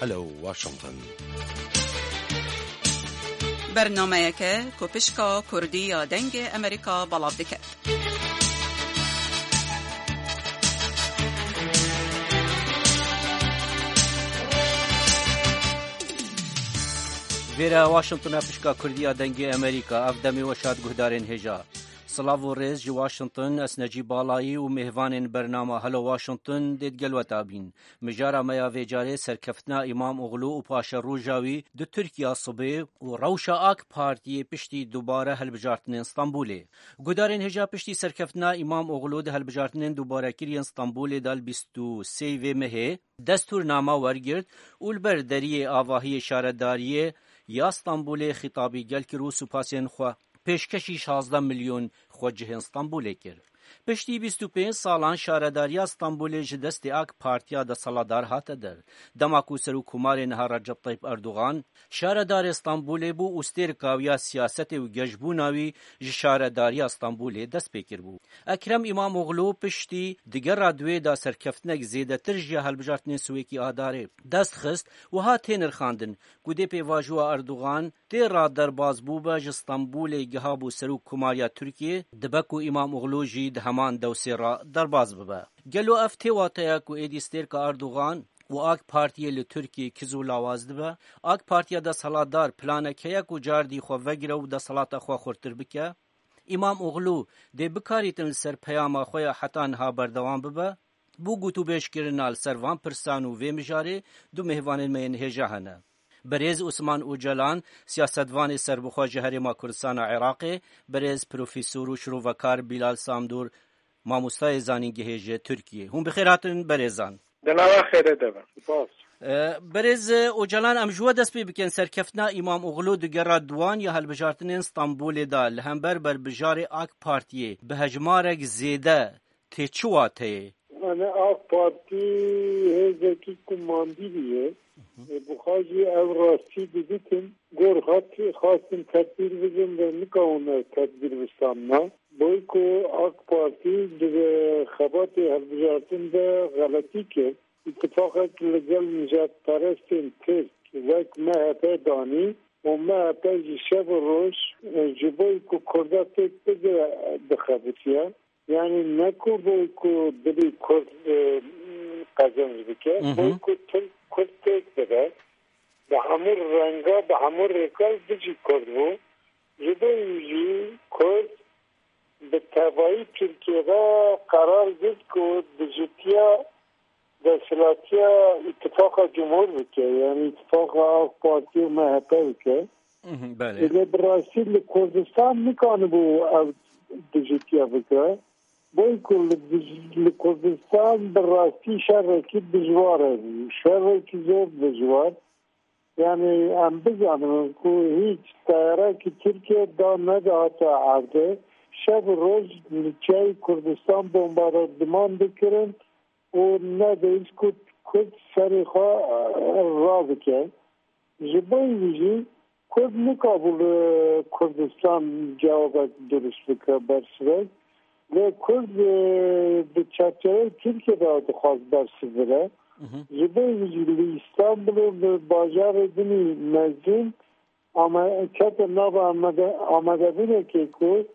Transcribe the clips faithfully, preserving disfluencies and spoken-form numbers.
Hello Washington. Bernameyeke ku pişka Kurdî ya Dengê Amerîka belav dike. Vêre Washington e, pişka Kurdî ya Dengê Amerîka. Ev demê we şad guhdarên hêja. Silav û rêz ji Washington, ez Necîb Balayî û mêvanên bernama Hello Washington dê digel we tabîn. Mijara me ya vê carê serkeftina Îmam Oxlû û paşeroja wî di Tirkiya sibê û rewşa AK Partiyê piştî dubare hilbijartinên Stenbolê. Gudarên hêja, piştî serkeftina Îmam Oxlû di hilbijartinên dubarekirî yên Stenbolê de li bîst û sê vê mehê destûrnama wergirt û li ber deriyê avahiyê şaredariyê ya Stenbolê xîtabî gel kir û supasên xwe pêşkêşî şazdeh milyon xwecihên Stenbolê kir. Piştî bîst û pênc salan şaredariya Stenbolê ji destê AK Partiya desthilatdar hate der. Dema ku Serokkomarê niha Recep Tayyip Erdogan şaredarê Stenbolê bû û stêrka wî ya siyasetê û geşbûna wî ji şaredariya Stenbolê dest pê kiribû. Ekrem Îmamoglû piştî digera duwê de serkeftinek zêdetir ji ya hilbijartinên Swêkî Adarê dest xist, wiha tê nirxandin ku dê pêvajoya Erdogan tê ra derbas bûbe ji Stenbolê gihabû Serokkomariya Tirkiyê, dibe ku Îmamoglû jî di heman dewsê ra derbas bibe. Gelo ev tê wateya ku êdî stêrka Erdogan û AK Partiyê li Tirkiyê kiz û lawaz dibe? AK Partiya desthilatdar planek heye ku cardî xwe vegire û desthilata xwe xurtir bike? Îmam Oxlû dê bikarîtin li ser peyama xwe ya heta niha berdewam bibe? Bo gotûbêjkirina li ser van pirsan û vê mijarê du mêvanên me yên hêja hene. Birêz Osman Ocalan, siyasetvanê serbixwe ji Herêma Kurdistana Iraqê, birêz Profesor û şirovekar Bilal Samdor, mamostayê zanîngehê ji Tirkiyê. Hûn bi xêr hatin, berêzan. Di nava xêrê de bin. Spas. E, Birêz Ocalan, em ji we dest pê bikin. Serkeftina Îmam Oxlû di gera duwan ya hilbijartinên Stenbolê de li hember berbijarê AK Partiyê bi hejmarek zêde tê çi wateyê? Yanî AK Partî hêzekî ku mandî bûye. Ê, bi xwe jî ev rastî diditin. Gor hat xwestin tedbîr bidin ve nikawin ev tedbîr bisamna. Boy ku AK Partî di xebatê hilbijartin de xeletî kir. Îtifaqek li gel nijadperestên Tirk wek M H P danî û M H P jî şev û roj, e, ji bo ku Kurda têk bigire dixebitiye. Yanî ne ku bo ku dilê Kurd, e, qezenc bike, Mhm. bo ku Tirk Kurd têk bide. Bi hemû renga, bi hemû rêka dijî Kurd bû. Ji bo wî jî Kurd bi tevayî Tirkiye de qerar girt ku dijîtiya desthilatiya Îtifaqa Cumhur bike, yanî Îtifaqa AK Partî û M H P bike. Mhm, belê. Lê bi rastî li Kurdistan nikanibû ev dijîtiya bike. Boy ku li dij-, li Kurdistan bi rastî şerekî dijwar hebû. Şerekî zor dijwar. Yanî em bizanin ku hîç teyarekî Tirkiye da nedihate erdê. Şev û roj li çiyayê Kurdistan bombardiman dikirin û nedihîst ku Kurd serê xwe, e, rabike. Ji bo wî jî Kurd nikabû li Kurdistan cewabek dirust bike, bersivek. Lê Kurd, e, di çerçeveyê Tirkiye de dixwaz bersiv bide. Mhm. Ji bo wî jî li Îstanbul û li bajarê din î mezin ame-, kete nava amade-, amadebûnekê ku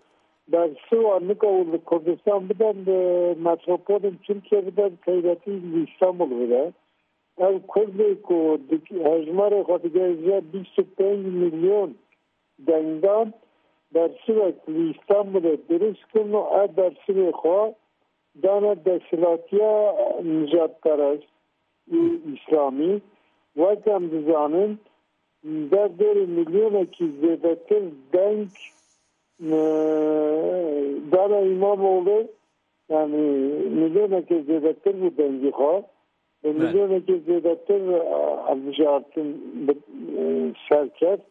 bersiva nika û li Kurdistan bide, li metropolên Tirkiye bide, bi taybetî li Îstanbul bide. Ev Kurdê ku di-, hejmarê xwe digihêje bîst û pênc milyon dengdan, bersivek li Îstanbulê dirust kirin û ev bersivê xwe dane desthilatiya nijadperest û Îslamî. Wek em dizanin, derdorê milyonekî zêdetir deng, e, dane Îmamoğlu, yanî milyonekê zêdetir bû dengî xwe. Belê. Milyonekê zêdetir, e, hilbijartin bi, e, ser ket.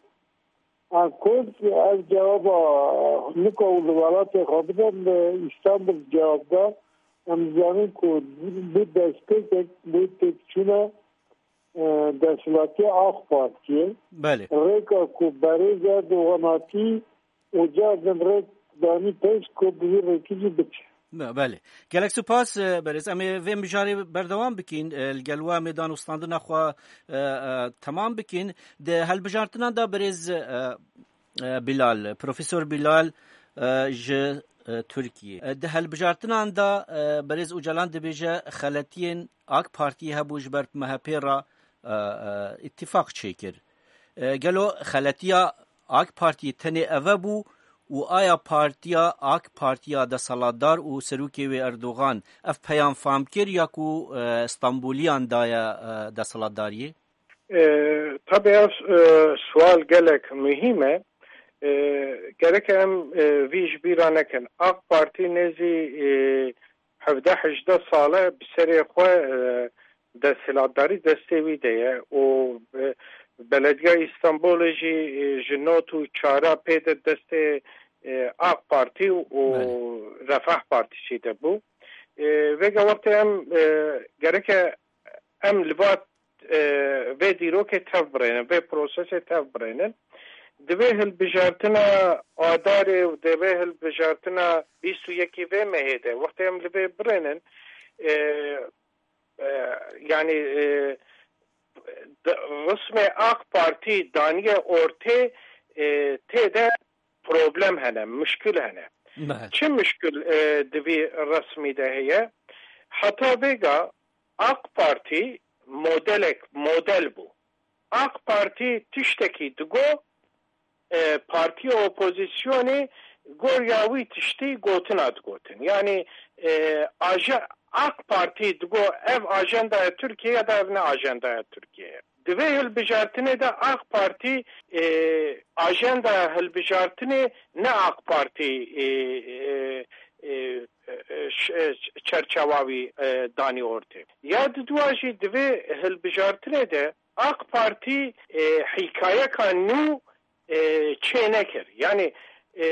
A Kurd ev cewaba nika û li welatê xwe bide, li Îstanbul cewab da. Em dizanin ku bû destpêkek, bû têkçûna, e, desthilatiya AK Partiyê. Belê. Rêka ku berêz Erdogan hatî û cardin rêk danî pêş ku bi vî rêkî jî biçe. Be-, belê. Gelek spas, e, berêz. Em ê vê mijarê berdewam bikin. E, li gel we em ê danûstandina xwe, e, e, temam bikin. Di helbijartinan de berêz, e, e, Bilal, Profesor Bilal, e, ji, e, Tirkiyê. E, di helbijartinan de, e, berêz Ocalan dibêje xeletiyên AK Partiyê hebû ji ber M H P re, e, e, îtîfaq çêkir. E, gelo xeletiya AK Partiyê tenê eve bû û aya partiya, AK Partiya desthilatdar û serokê wê Erdogan ev peyam fam kir ya ku, e, Stenboliyan daye, e, desthilatdariyê? E, tabii ev, e, sual gelek mühim e. E, gerek em, e, vî ji bîra nekin. AK Partî nêzî, e, hevdeh hejdeh sal e bi serê xwe, e, desthilatdarî destê wî de ye û, e, Belediya Îstanbulê jî, e, ji not û çara pê de destê, e, AK Partî û Belê. Refah Partî jî de bû. E, vêga wextê em, e, gereke em li va, e, vê dîrokê tev birênin, vê prosesê tev birênin. Di vê hilbijartina Adarê û di vê hilbijartina bîst û yekê vê mehê de, wextê em li vê birênin, e, e, yanî, e, di, rismê AK Partî daniye ortê, e, tê de problem hene, muşkil hene. Belê. Çi muşkil, e, di vî resmî de heye? Heta vêga AK Partî modelek, model bû. AK Partî tiştekî digo, e, partiya opozîsyonê gor ya wî tiştî gotina digotin. Yanî, e, aje-, AK Partî digo ev ajendaya Tirkiyeyê ya da ev ne ajendaya Tirkiyeyê. Di vê hilbijartinê de AK Partî, e, ajendaya hilbijartinê ne AK Partî, e, e, e, e, ş-, e, çerçewa wî, e, danî ortê. Ya di dua jî di vê hilbijartinê de AK Partî, e, hîkayeka nû, e, çê nekir. Yanî, e,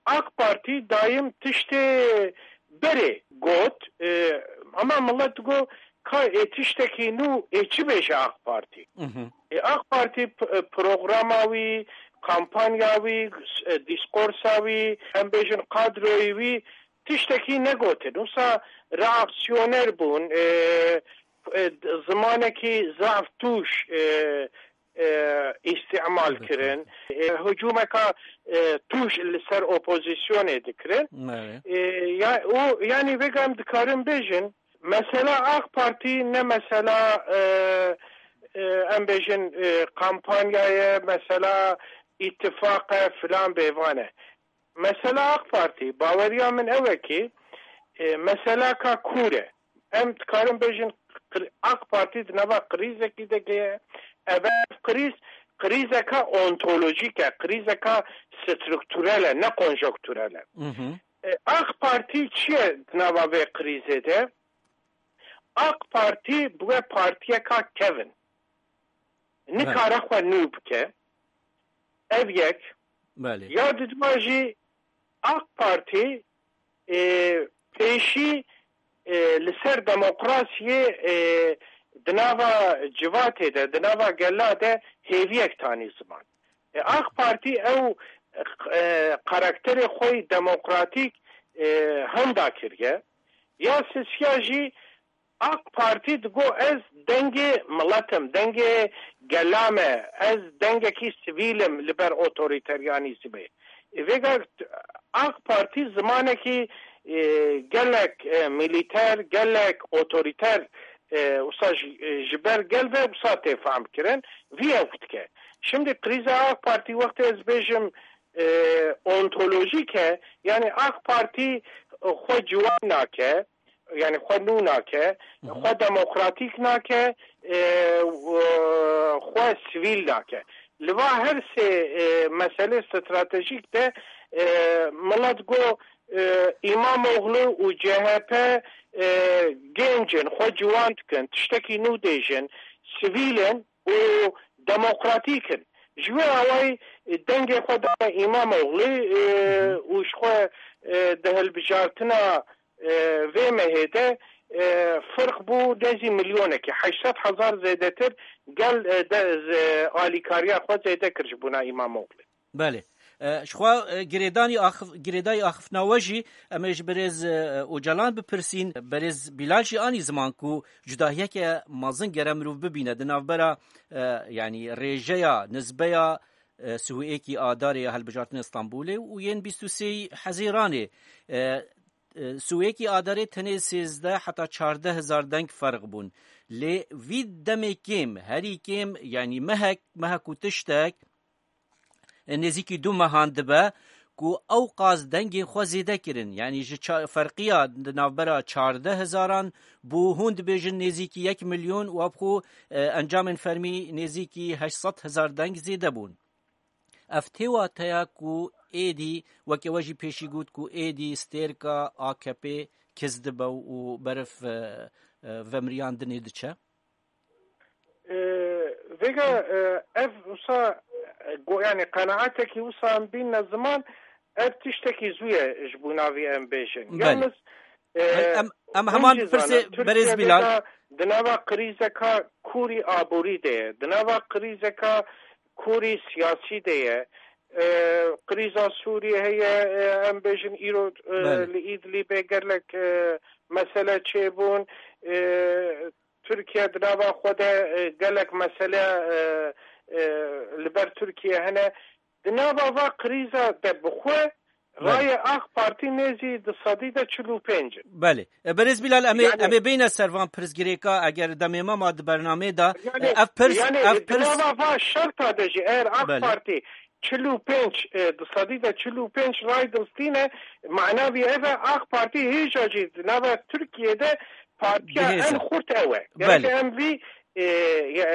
AK Partî dayim tiştê berê got, e, ama milet digo, ka ê tiştekî nû ê çi bêje AK Partî? Mhm. E, AK Partî p-, e, programa wî, kampanya wî, e, diskorsa wî, em bêjin kadroyê wî tiştekî negotin. Wisa reaksiyoner bûn, e, e, zimanekî zaf tûş, e, e, îstîmal Elbette. Kirin. E, hicûmeka, e, tûş li ser opozîsyonê dikirin. Evet. E, ya, û, yanî vêga em dikarin bêjin, mesela AK Partî ne mesela, e, e, em bêjin, e, kampanya ye, mesela îtifaq e, filan bêvan e. Mesela AK Partî, baweriya min ew e ki, e, mesela ka kûr e. Em dikarin bêjin, kri-, AK Partî di nava krîzekî de ye. Ev krîz, krîzeka ontolojîk e, krîzeka strukturel e, ne konjonkturel e. Mhm. E, AK Partî çi ye di nava vê krîzê de? AK Partî bûye partiyeka kevin. Belê. Nikare xwe nû bike. Ev yek. Belê. Ya didwa jî AK Partî, e, pêşî, e, li ser demokrasiyê, e, di nava civatê de, di nava gela de hêviyek tanî ziman. E, AK Partî ew, e, karakterê xwe yî demokratîk, e, hinda kiriye. Ya sisiya jî AK Partî digo ez dengê milet im, dengê gela me, ez dengekî sivîl im li ber otorîteryanîzmê. Vêga AK Partî zimanekî, e, gelek, e, milîter, gelek otorîter, e, wisa ji, e, ji ber gel ve wisa tê fehmkirin, vî ew dike. Şimdi krîza AK Partî wextê ez bêjim, e, ontolojîk e, yanî AK Partî xwe ciwan nake, yanî xwe nû nake, Hı hı. xwe demokratîk nake, e, û xwe sivîl nake. Li va her sê, e, meselê stratejîk de, e, milet got, e, Îmamoğlu û C H P, e, genc in, xwe ciwan dikin, tiştekî nû dêjin, sivîl in û demokratîk in. Ji wê awayî, e, dengê xwe dane Îmamoğlu, e, Hı hı. û ji xwe, e, di hilbijartina e, vê mehê de, e, firq bû nêzî milyonekê, heşt sed hezar zêdetir gel, e, de, z-, alîkariya xwe zêde kir ji bona Îmamoglê. Belê. E, ji xwe, e, girêdanî axif-, girêdayî axiftina we jî em ê ji birêz, e, Ocalan bipirsîn. Birêz Bilal jî anî ziman ku cudahiyeke mezin gere mirov bibîne di navbera, e, yanî rêjeya, nizbeya, e, sihûyekî Adarê ya hilbijartina Stenbolê û yên bîst û sê Hezîranê. E, e, sihûyekî Adarê tenê sêzdeh heta çardeh hezar deng ferq bûn. Lê vî demê kêm, herî kêm, yanî mehek, mehek û tiştek, nêzîkî du mehan dibe ku ew qas dengên xwe zêde kirin. Yanî ji ça-, ferqiya di navbera çardeh hezaran bû hûn dibêjin nêzîkî yek milyon û ev xwe, e, encamên fermî nêzîkî heşt sed hezar deng zêde bûn. Ev tê wateya ku êdî, weke we jî pêşî got ku êdî stêrka A K P kiz dibe û berif, e, e, vemriyandinê diçe? E, vêga, e, ev wisa, e, go-, yani qenaetekî wisa em bînne ziman, ev tiştekî zû ye ji bo navî em bêjin. Belê. Yalnız, e, Em, em hûn heman jî pirsê zanin, berêz Tirkiye Bilal. Vêga di nava krîzeka kûrî aborî de ye, di nava krîzeka kûrî siyasî de ye. E, krîza Sûriyê heye, e, em bêjin îro, e, Belê. Li Îdlîbê gelek, e, mesele çêbûn. E, Tirkiye di nava xwe de, e, gelek mesele, e, e, li ber Tirkiye hene. Di nava va krîza de bi xwe Belê. Rayê A K Partî nêzî di sedî de çil û pênc in. Belê. E, Berêz Bilal, em ê, Yani em ê bêne ser van pirsgirêka, eger demê me ma di bernamê de, Yani, e, ev pirs, yani, ev di pirs nava va şerta de jî eger A K Belê. Partî çil û pênc, e, di sedî de çil û pênc ray dilstîne, mana vî ev e, A K Partî hêja jî di nava Tirkiye de partiya Bihêz en e. Xurt ew e. Gerek Belê. Em vî, e, e,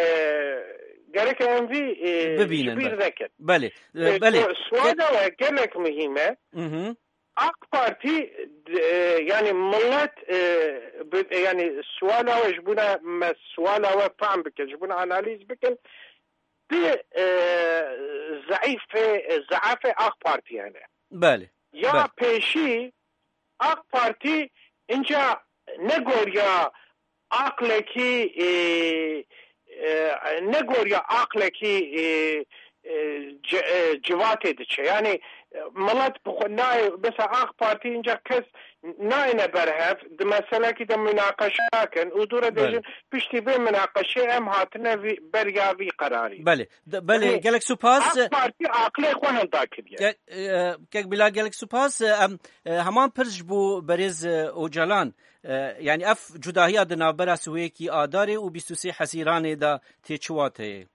gerek em vî, e, Bibînin, ji bîr belê. Nekin. Belê. E, E, belê. Ku suala we gelek muhîm e. Mhm. A K Partî, e, yani millet, e, bi, yani suala we ji bona me suala we fehm bikin, ji bona analîz bikin. Di, e, zeîfê, zeafê A K Partî hene. Belê. Ya Belê. Pêşî A K Partî inca negoriya aqlekî, e, e, negoriya aqlekî, e, e, ci-, e, civatê diçe. Yani, e, milet bi xwe nayê, mesela A K Partî inca kes nayêne ber hev, di meselekî de münaqeşe nakin û dû re Belê. Dêjin piştî vê münaqeşê em hatine vî, beriya vî qerarî. Belê. De, belê, Yani, gelek supas. A K Partî aqlê xwe henda kiriye. Ge-, e, Kek Bilal, gelek supas. E, em, e, heman pirs ji bo berêz, e, Ocalan. E, yani ev cudahiya di navbera sihûyekî Adarê û bîst û sê Hezîranê de tê çi wateyê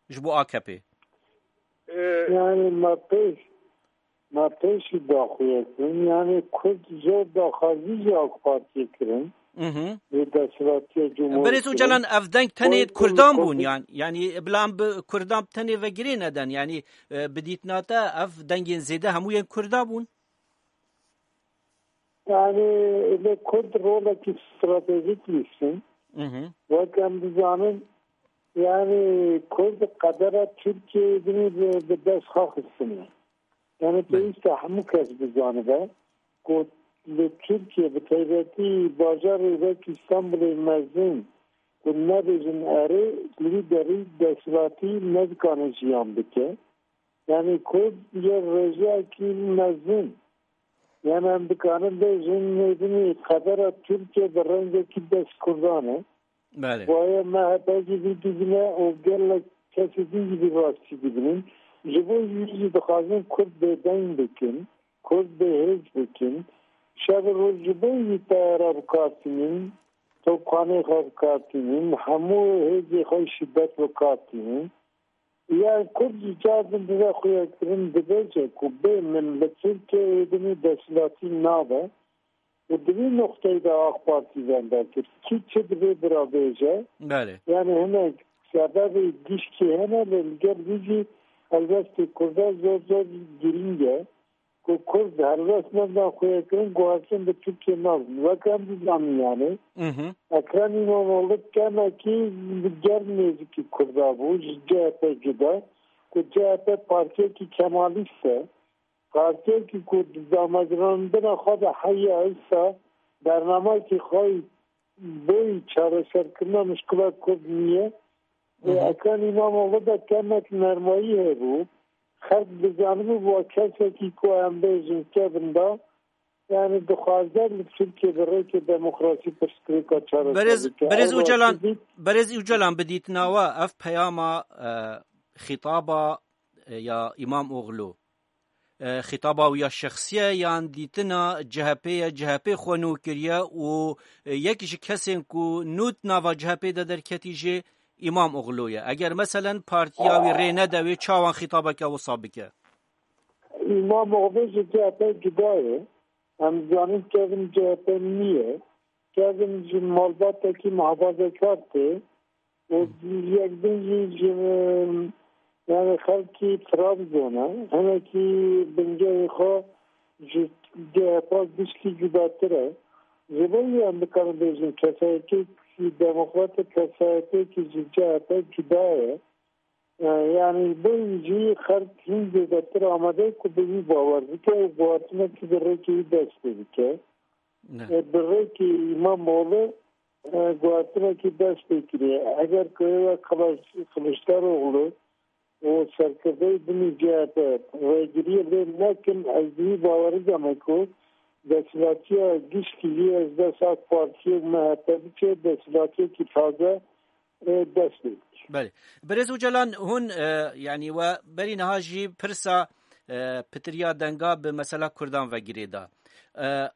ji bo A K P? E, Yani me pêş, me pêşî daxuye kirin. Yani Kurd zor daxwazî ji A K Partiyê kirin. Mhm. Li desthilatiya Cumhuriyê Berêz Ocalan, ev deng tenê Kurd, Kurdan Kurd, bûn Kurd. Yan, yani bila em bi Kurdan tenê ve girê neden. Yani, e, bi dîtina te ev dengên zêde hemû yên Kurda bûn. Yani, lê Kurd rolekî stratejîk lîstin. Mhm. Wek em dizanin, yani Kurd qedera Tirkiyeyê dinê bi, bi dest xwe xistine. Yani, Belê. Pêwîst e hemû kes bizanibe ku li Tirkiye, bi taybetî bajarê wek Îstanbulê mezin, ku nebêjin erê, li wî derî desthilatî nedikane jiyan bike. Yani Kurd yê rêjeyekî mezin. Yani em dikarin bêjin, nêbinî qedera Tirkiye bi rengekî dest Kurdan e. Belê. Boye M H P jî vî dibîne û gelek kesê din jî vî rastî dibînin. Ji bo wî jî dixwazin Kurd bêdeng bikin, Kurd bêhêz bikin. Şev û roj ji bo wî teyara bi kar tînin, topxanê xwe bi kar tînin, hemû hêzê xwe şîdet bi kar tînin. Ya Kurd ji car din dibe xuyakirin, dibêje ku bê min li Tirkiyeyê dinî desthilatî nabe û di vî noqteyê de A K Partî venda kir. Kî çi dibê bira bêje? Belê. Yani hinek sebebê gişkî hene, lê li gel vî jî helbestê Kurda zor zor girîng e. Ku Kurd helbest nebdan xuyakirin, guhertin bi Tirkiye nabin. Wek em dizanin yani. Mhm. Ekrem İmamoğlu kemekî li gel nêzikî Kurda bû, ji C H P cuda. Ku C H P partiyekî kemalîst e. Partiyekî ku di damezrandina xwe de heya êsta bernameyekî xwe boyî çareserkirina mişkila Kurd niye. Hı hı. Ekrem İmamoğlu de kemekî nermayî hebû. Xelk dizanibû va kesekî ku em bêjin kevin da, yani dixwaze li Tirkiye bi rêkê demokrasî pirsgirêka çareser Berêz, bike. Berêz Ew Ocalan, dît- Berêz Ocalan, bi dîtina we ev peyama, e, xîtaba, e, ya Îmamoğlu, e, xîtaba wî ya şexsî ye yan dîtina C H P ye, C H P xwe nû kiriye û, e, yek ji kesên ku nû di nava C H P de derketî jî Îmamoğlu ye. Eger meselen partiya wî rê nede wê, çawan xîtabeke wisa bike? Îmamoğlu ji C H P cuda ye. Em dizanin kevin C H P niye. Kevin ji malbatekî muhafazekar tê. Û yek din jî ji, yani xelkî Trabzon e. Hinekî bingehê xwe ji C H P gişkî cudatir e. Ji bo wî em dikarin bêjin kesayetêkî demokrat e, kesayetêkî ji C H P cuda ye. E, yani bo wî jî xelk hîn zêdetir amade ye ku bi wî bawer bike û guhartinekî bi rêkê wî dest pê bike. Ne. E, bi rêkê Îmamoğlu, e, guhartinekî dest pê kiriye. Eger ku êwe Kılıç-, Kılıçdaroğlu û serkirdeyê din ê C H P rêgiriyê lê nekin, ez bi wî bawerî de me ku desthilatiya gişkî jî ez dest AK Partiyê û M H P biçe, desthilatiyekî taze, e, dest pê bike. Belê. Birêz Ocalan, hûn, e, yanî we berî niha jî pirsa, e, pitiriya denga bi mesela Kurdan ve girêda. E,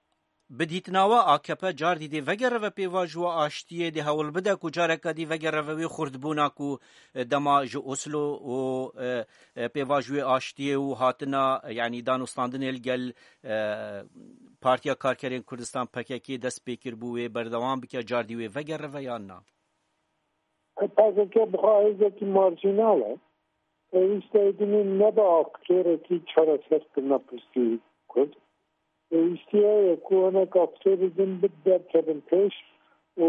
Bi dîtina we A K P cardî dê vegere ve pêvajoya aştiyê, dê hewl bide ku careke dî vegere ve wê xurtbûna ku, e, dema ji Oslo û, e, e, pêvajoyê aştiyê û hatina, e, yanî danûstandinê li gel, e, Partiya Karkerên Kurdistan P K K dest pê kiribû wê berdewam bike, cardî wê vegere ve yan na? P K K bi xwe hêzekî marjînal e. Pêwîst e êdî nebe aktorekî çareserkirina pirsgirêkî Kurd. Pêwîstî heye ku hinek aktorî din bi derkevin pêş û,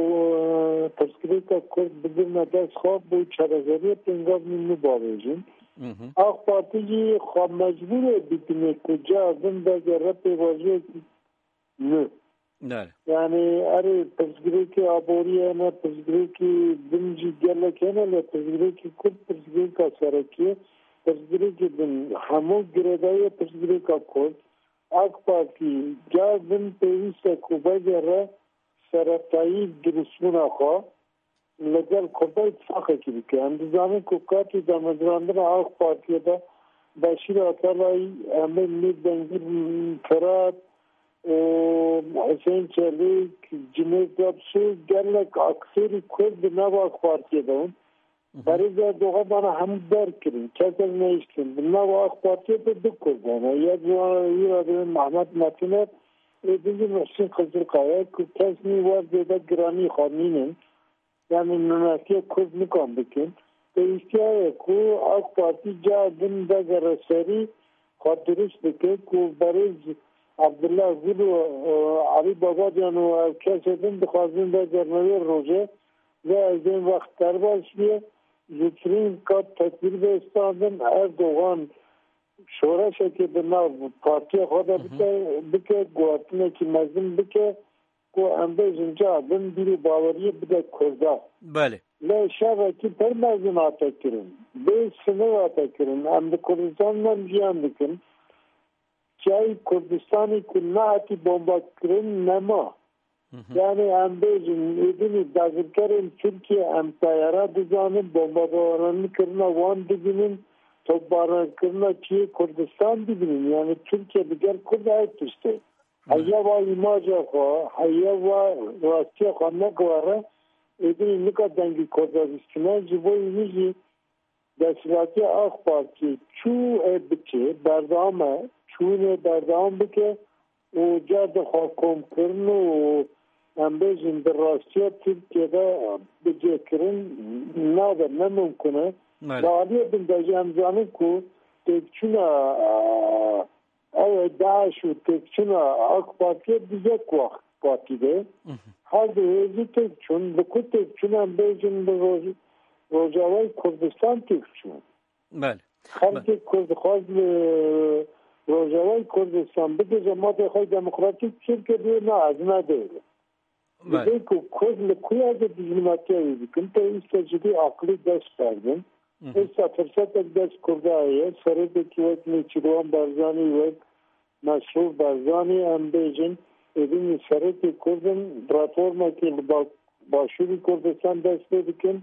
e, pirsgirêka Kurd bigirine dest xwe bo çareseriyê pêngavên nû bavêjin. Mhm. AK Partî jî xwe mecbûr e bibîne ku cara din vegere pêvajoyekî nû. Nare. Yani erê pirsgirêkê aborî hene, pirsgirêkê din jî gelek hene, lê pirsgirêkê Kurd pirsgirêka serekî ye. Pirsgirêkê din hemû girêdayî ye pirsgirêka Kurd. AK Partî car din pêwîst e ku vegere seretayî dirustbûna xwe. Li gel Kurda îtifaqekî bike. Em dizanin ku katî damezrandina AK Partiyê de Beşîr Atalayî, Emîr Mîr Dengî Firat û Huseyîn Çelîk, Cunêt Gapsû, gelek aktorî Kurd di nava AK Partiyê de bûn. Mhm. Berêz Erdogan vana hemû derkirin, kesek nehiştin. Di nava AK Partiyê de du Kurd hene. Yek ji wan wî re dibin Mehmet Metiner, ê din jî Muhsîn Xizirkaya, ku kes nî wer zêde giranî xwe nînin. Yani nûnertiya Kurd nikan bikin. Pêwîstiya ye ku AK Partî cara din vegere serî xwe dirust bike ku berêz Abdullah Gul û, e, Alî Babacan û ev kesê din dixwazin vegerine wê rojê, lê ez ên wext derbas bûye. Zûtirîn kat tedbîr bê standin, Erdogan şoreşekê di nav partiya xwe de Hı hı. bike, bike, guhertinekî mezin bike, ku em bêjin cara din bîr û baweriyê bide Kurda. Belê. Lê şerekî pir mezin hate kirin. Bê sinir hate kirin. Em li Kurdistan de jiyan dikin. Çiyayê Kurdistanê ku nehatî bombekirin nema. Hı hı. Yani em bêjin, êdînî dagirkerên Tirkiye em teyara dizanin, bombebaranî kirina wan dibînin, topbaranîkirina çiyê Kurdistan dibînin. Yani Tirkiye li gel Kurd ew tişt e. Heya va îmaja xwe, heya va rastiya xwe neguhere, êdî nika dengê Kurda bîstine, ji bo wî jî desthilatiya AK Partî çû ê biçe, berdewam e, çûnê berdewam bike û car di xwe komkirin û em bêjin di rastiya Tirkiye de bicêkirin nabe, ne mimkun e. Belê. Li aliyê din de jî em zanin ku têkçûna Ew ê DAIŞ û têkçûna AK Partiyê di yek wext Partî de. Mhm. Her du hêzî têk çûn. Bi ku têk çûn em bêjin bi Roj-, Rojavayê Kurdistan têk çûn. Belê. Xelkê Kurd dixwaz li Rojavayê Kurdistan bigihîje mafê xwe demokratîk, Tirkiye dibê na, ez ne dêrim. Belê. Dibê ku Kurd li ku ya de dijminatiya wî bikin, pêwîst e ji vî aqilî dest berdin. Hı hı. Êsta firsetek dest Kurda heye. Serokekî wek Nêçîrwan Barzanî, wek Mesrûr Barzanî, em bêjin, êdî serokê Kurd in, reformekî li ba-, Başûrî Kurdistan dest pê dikin.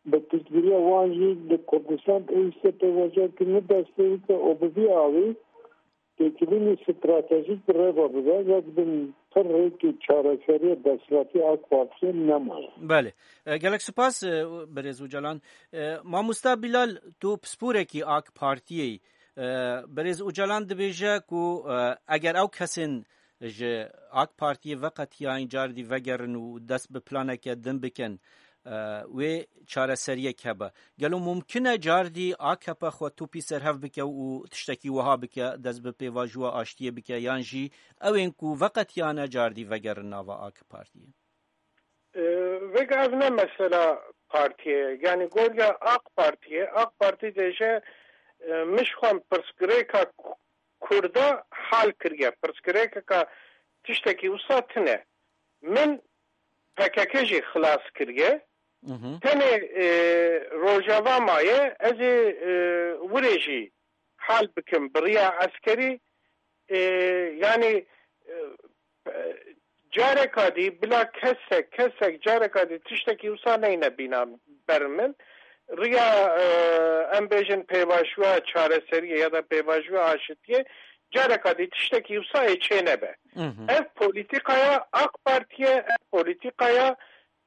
Bi piştgiriya wan jî li Kurdistan pêwîst e pêvajoyekî nû dest pê bike û bi vî awî têkilînî stratejîk bi rê ve bibe, wek bin pir rêkê çareseriyê desthilatî AK Partiyê nemaye. Belê. E, gelek spas, e, birêz Ocalan. E, mamosta Bilal, tu pisporekî AK Partiyê yî. E, birêz Ocalan dibêje ku, e, eger ew kesên ji AK Partiyê veqetiyayîn cardî vegerin û dest bi planeke din bikin, e, wê çareseriyek hebe. Gelo mumkin e cardî AKP xwe topî ser hev bike û tiştekî wiha bike, dest bi pêvajoya aştiyê bike, yan jî ew ên ku veqetiyane cardî vegerin nava AK Partiyê? E, vêga ev ne mesela partiyê ye. Yanî goriya AK Partiyê, AK Partî dêje, e, min ji xwe pirsgirêka Kurda hal kiriye. Pirsgirêkeka tiştekî wisa tune. Min P K K jî xilas kiriye. Mhm. Tenê, e, Rojava maye, ez ê, e, wirê jî hal bikim bi riya eskerî. E, yanî, e, careka dî bila kesek, kesek careka dî tiştekî wisa neyne bîna ber min. Riya, e, em bêjin pêvajoya çareseriyê ya da pêvajoya aşitiyê careka dî tiştekî wisa ê çê nebe. Mhm. Ev polîtîkaya AK Partiyê, ev polîtîkaya,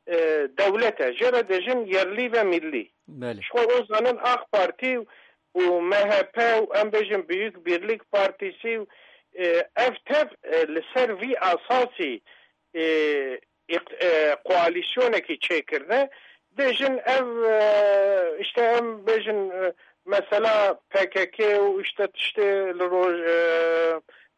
e, dewlet e. Jê re dêjin yerlî ve millî. Belê. Ji xwe o zanin AK Partî û M H P û em bêjin Büyük Birlik Partisi û, e, ev tev, e, li ser vî asasî, e, îq-, e, koalîsyonekî çêkirine. Dêjin ev, e, işte em bêjin, e, mesela P K K û işte tiştê li roj-, e,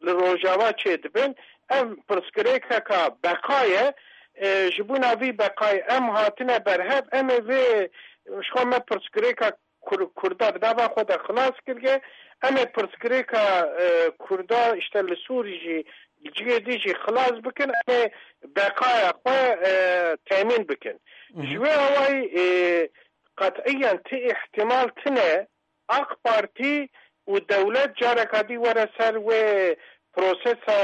li Rojava çêdibin. Ev pirsgirêkeka beqa ye. E, ji bona vî beqayê em hatine berhev, em ê vê, ji xwe me pirsgirêka Kur-, Kurda bi nava xwe de xilas kiriye. Em ê pirsgirêka, e, Kurda işte li Sûrî jî, li cihê dî jî xilas bikin. Em ê beqaya xwe, e, temîn bikin. Hı hı. Ji wê awayî, e, qet'iyen ti îhtimal tine AK Partî û dewlet careka dî were ser wê prosesa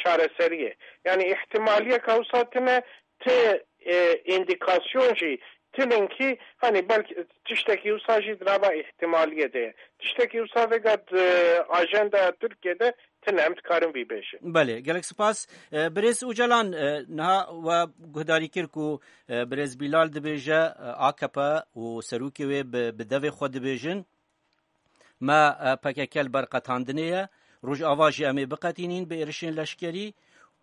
çareseriyê. Yanî îhtimaliyeka wisa tine, ti, e, îndîkasyon jî tinin kî, hani belkî tiştekî wisa jî di nava îhtimaliyê de ye. Tiştekî wisa vêga di ajenda Tirkiyê de tine, em dikarin vî bêjin. Belê, gelek spas. E, birêz Ocalan, e, niha we guhdarî kir ku, e, birêz Bilal dibêje, e, AKP û serokê wê bi, bi devê xwe dibêjin. Me, e, P K K li ber qetandinê ye. Rojava jî em ê biqetînîn bi êrişên leşkerî.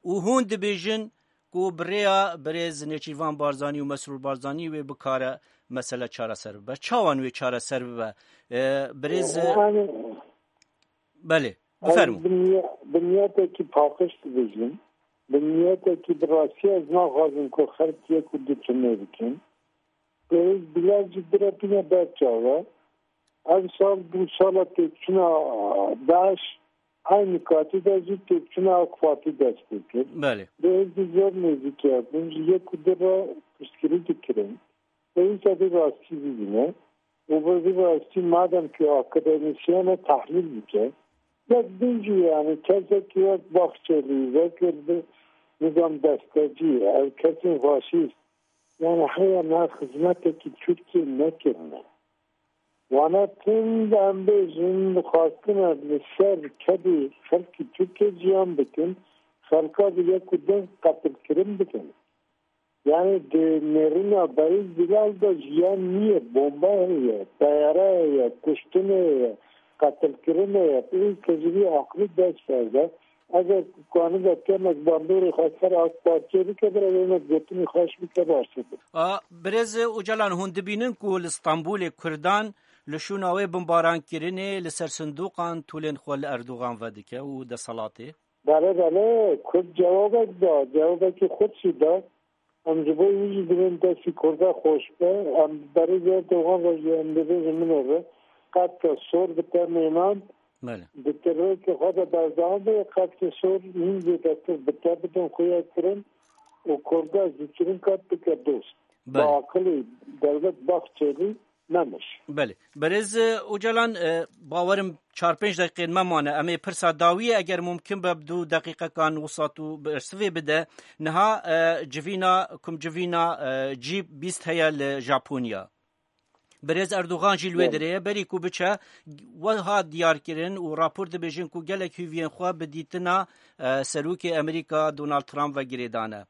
Û hûn dibêjin ku bi rêya birêz Nêçîrvan Barzanî û Mesrûr Barzanî wê bikare mesele çareser bibe. Çawan wê çareser bibe? E, birêz, e, Yani, belê, ez bifermo. Bi niye-, bi niyetekî paqij dibêjim. Bi niyetekî bi rastî ez naxwazim ku xelk yek û du tune bikin. Birêz Bilal jî direpîne ber çav e. Ev sal bû sala têkçûna DAIŞ, eynî katî de jî têkçûna AK Partî dest pê kir. Belê. Birêz jî zor nêzîkî hebûn, ji yek û du re piştgirî dikirin. Pêwîst e vî rastî bibîne û bi vî rastî madem ku akademîsyen e tehlîl bike. Yek din jî yani kesekî wek Bahçelî, wek bi nizam destecî, ev kesên faşîst, yani heya niha xizmetekî Tirkiyê nekirine. Wana tim de em bêjin, xwestine li ser kedê xelkî Tirkiyê ciyan bikin, xelka bi yek û din qetilkirin bikin. Yani di nêrîna Berîz Bilal de jiyan niye, bomba heye, teyare heye, kuştinê heye, qetilkirinê heye. Pêwîst e ji vî aqilî dest berde. Eger ku kanibe kemek bandorê xwe ser AK Partiyê bike, bira wêne gotinê xweş bike, baştir be. A, Birêz Ocalan, hûn dibînin ku li Stenbolê Kurdan li şûna wê bimbarankirinê li ser sindoqan tûlên xwe li Erdogan vedike û deselatê? Belê, belê, Kurd cewabek da, cewabekî xurt jî da. Em ji bo wî jî divên destî Kurda xweş be. Em berê zêr doxan re jî em dibêjin min re. Qetka sor bi te mênan. Belê. Di tirokê xwe de berdewam be, qetkê sor hîn zêdetir bi te bidin xuya kirin û Kurda zûtirîn qet bike dost. Belê. Bi aqilî dewlet Bahçelî Memiş. Belê. Berêz, e, Ocalan, e, bawerim çar pênc deqîqên me mane. Em ê pirsa dawiyê, eger mumkin be, bi du deqîqekan wisa tu bersivê bide. Niha, e, civîna, kumcivîna, e, G bîst heye li Japonya. Berêz Erdogan jî li wê Belê. derê ye. Berî ku biçe, wiha diyar kirin û rapor dibêjin ku gelek hêviyên xwe bi dîtina, e, Serokê Amerîka Donald Trump ve girêdane.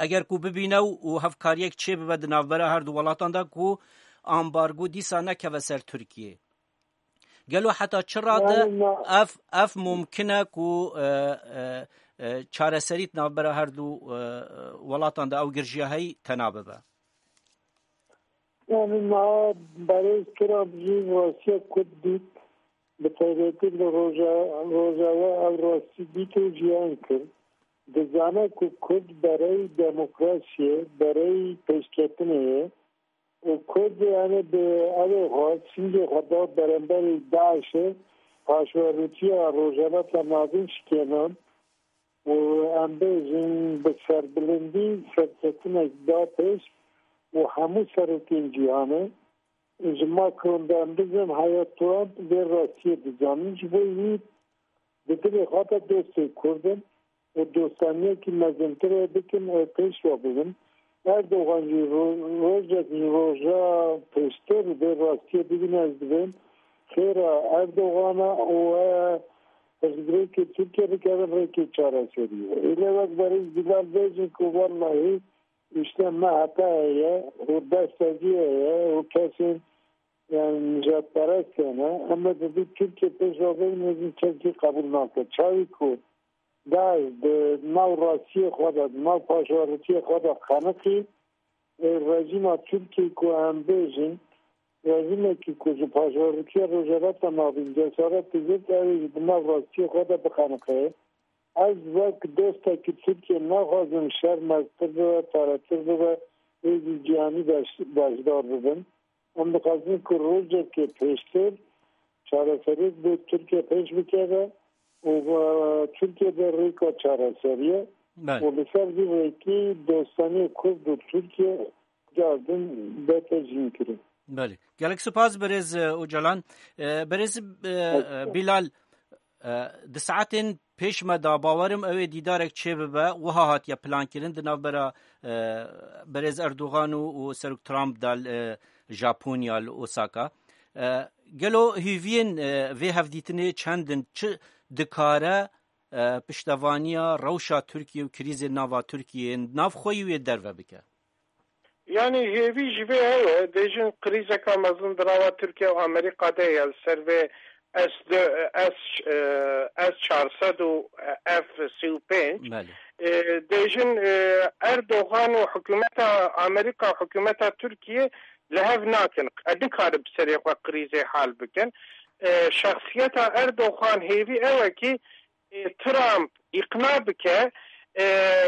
Eger ku bibîne û, û hevkariyek çêbibe di navbera her du welatan de ku ambargo dîsa nekeve ser Tirkiyê. Gelo heta çi rade Yani na- ev, ev mumkin e ku, e, e, e, çareserî di navbera her du, e, e, welatan de ew girjiya heyî tena bibe? Yani niha berêz Trump jî rastiya Kurd dît, bi taybetî li roja, Rojava ev rastî dît û jiyan kir. Dizane ku Kurd berey demokrasiyê, berey pêşketinê ye û Kurd yani bi evê xwe, singê xwe da beramberî DAIŞ'ê, paşverûtiya Rojhilata Navîn şikênan û em bêjin bi serbilindî serketinek da pêş û hemû serokên cîhanê, ji Macron de em bizin heya Trump vê rastiyê dizanin. Ji bo wî di dilê xwe de dostê Kurd in û dostaniyekî mezintir ê bikin, ê pêş ve bibin. Erdogan jî ro-, rojek ji roja pêştir vê rastiyê bibîne, ez dibêm xêra Erdogan e û e pirsgirêkê Tirkiye bikevin rêkê çareseriyê. Êlê wek berêz Bilal bêjin ku wellahî îşte M H P heye û destezî heye û kesên, yani, nijadperest hene. Em ê dibî Tirkiye pêş ve bibin, hêzên Tirkiyê qebûl nake. Çawî ku DAIŞ di nav rastiyê xwe de, di nav paşverûtiyê xwe de qeniqî, ê, rejîma Tirkiyê ku em bêjin, rejîmekî ku ji paşverûtiya Rojhilata Navîn cesaret digirt, ew ê jî di nav rastiyê xwe de biqeniqe. Ez wek dostekî Tirkiyê naxwazim şer meztir bibe, taretir bibe, hêzî cîhanî beş-, beşdar bibin. Em dixwazin ku rojekê pêştir çareseriyek bo Tirkiye pêş bikeve û, e, Tirkiye de rêka çareseriyê Belê. û li ser vî rêkî dostaniyê Kurd û Tirkiye cardin bete jînkirin. Belê. Gelek spas berêz, e, Ocalan. E, berêz, e, e, Bilal, e, di saetên pêş me de bawerim ew ê dîdarek çêbibe, wiha hatiye plankirin di navbera, e, berêz Erdogan û, û Serok Trump de li, e, Japonya, li Osaka. E, gelo hêviyên, e, vê hevdîtinê çend in? Çi dikare, e, piştevaniya rewşa Tirkiye û krîzên nava Tirkiyê navxweyî wê derve bike? Yani hêvî ji vê hewe, dêjin krîzeka mezin di nava Tirkiye û Amerîka de ye li ser vê S, S, e, S çar sed û F sî û pênc. Belê. E, dêjin, e, Erdogan û hikûmeta Amerîka û hikûmeta Tirkiye li hev nakin. E, nikarin bi serê xwe krîzê hal bikin. E, şexsiyeta Erdogan hêvî ew e kî, e, Trump îqna bike, e,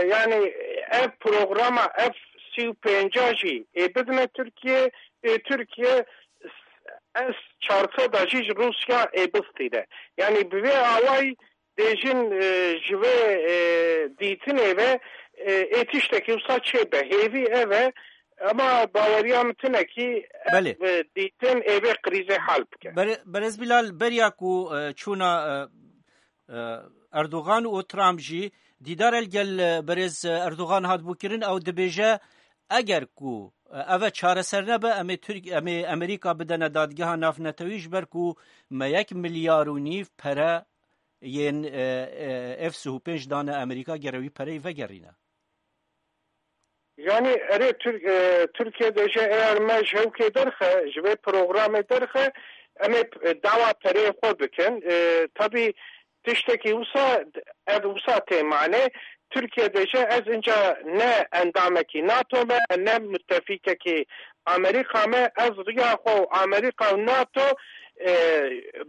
yani ev programa F sî û pênc jî ê bidine Tirkiye, ê Tirkiye S çar sed jî ji Rûsya ê bistîne. Yani bi vê awayî dêjin, e, ji vê, e, dîtinê ve, e, ê tiştekî wisa çêbe. Hêvî ev e, ama baweriya min tune kî ev, Belê. e, dîtin ê vê krîzê hal bike. Bere-, Berêz Bilal, beriya ku, e, çûna, e, e, Erdogan û Trump jî dîdar el gel, e, berêz Erdogan hat bûkirin, ew dibêje, eger ku, e, ev e çareser nebe, em ê Tirk-, em ê Amerîka bidene dadgeha navnetewî, ji ber ku me yek milyar û nîv pere yên, e, e, F sî û pênc dane Amerîka, gere wî pereyî vegerîne. Yani erê Tir-, e, Tirkiye dêje eğer me ji hewkê derxe, ji vê programê derxe, em ê, e, dawa pereyê xwe bikin. E, tabî tiştekî wisa, ev wisa tê mane. Tirkiye dêje ez inca ne endamekî nato me, ne mutefîkekî Amerîka me, ez riya xwe û Amerîka û nato, e,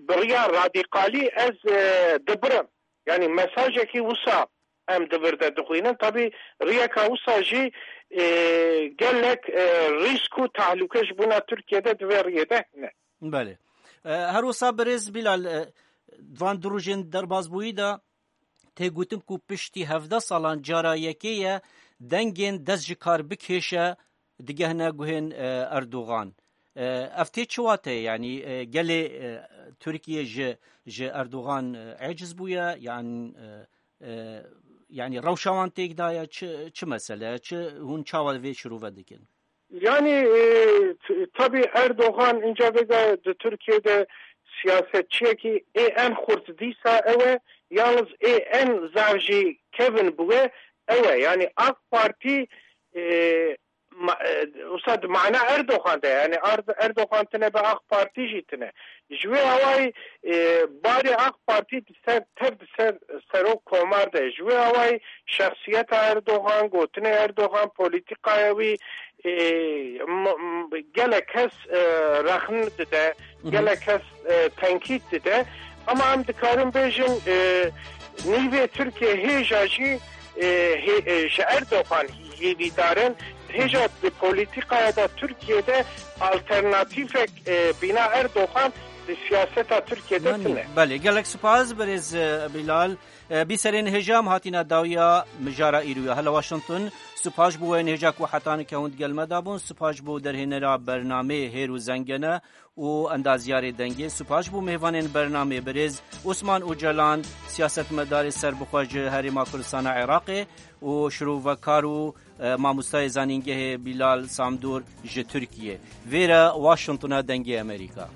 bi riya radîkalî ez, e, dibirim. Yani mesajekî wisa em di vir de dixwînin. Tabî riyeka wisa jî, e, gelek, e, rîsk û tehlûke ji bona Tirkiye de di vê riyê de hene. Belê. E, her wisa birêz Bilal, e, van du rojên derbasbûyî de tê gotin ku piştî hevdeh salan cara yekê ye dengên dest ji kar bikêşe digehne guhên, e, Erdogan. E, ev tê çi wateyê? Yanî, e, gelê, e, Tirkiye ji, ji Erdogan, e, eciz bûye? Yan, e, e, yanî rewşa wan têk daye? Çi, çi mesele? Çi, hûn çawa vê şirove dikin? Yani, e, t-, tabii Erdoğan ince vega de Türkiye'de siyasetçiye ki e en kurt dîsa ewe, yalnız e en zavji Kevin bue ewe. Yani AK Parti, e, ma-, e, usad mana Erdoğan de, yani Ard-, Erdoğan tine be AK Parti jî tine. Ji wê awayî, e, barê AK Parti di ser, tev di ser serok komar de. Ji wê awayî şexsiyeta Erdogan, gotinê Erdogan, polîtîkaya wî, e, m-, m-, gelek kes, e, rexn dide, gelek kes, e, tenkît dide. Ama em dikarin bêjin, e, nîvê Tirkiye hêja jî, e, hê-, e, ji Erdogan hêvîdar in. Hêja di polîtîkaya da Tirkiye de alternatîfek, e, bîna Erdogan di siyaseta Tirkiye de Yanî, tine. Belê, gelek spas birêz, e, Bilal. E, bîserên hêja em hatîne dawiya mijara îroya. Hele Washington, spas bo wê hêja ku heta nika hûn digel me de bûn, spas bo derhênera bernameyê Hêr û Zengene û endaziyarê dengê, spas bo mêvanên bernameyê birêz Osman Ocalan, siyasetmedarê serbixwe ji Herêma Kurdistana Iraqê û şirovekar û, e, mamostayê zanîngehê Bilal Samdor ji Tirkiye. Vêre Washingtona Dengê Amerîka.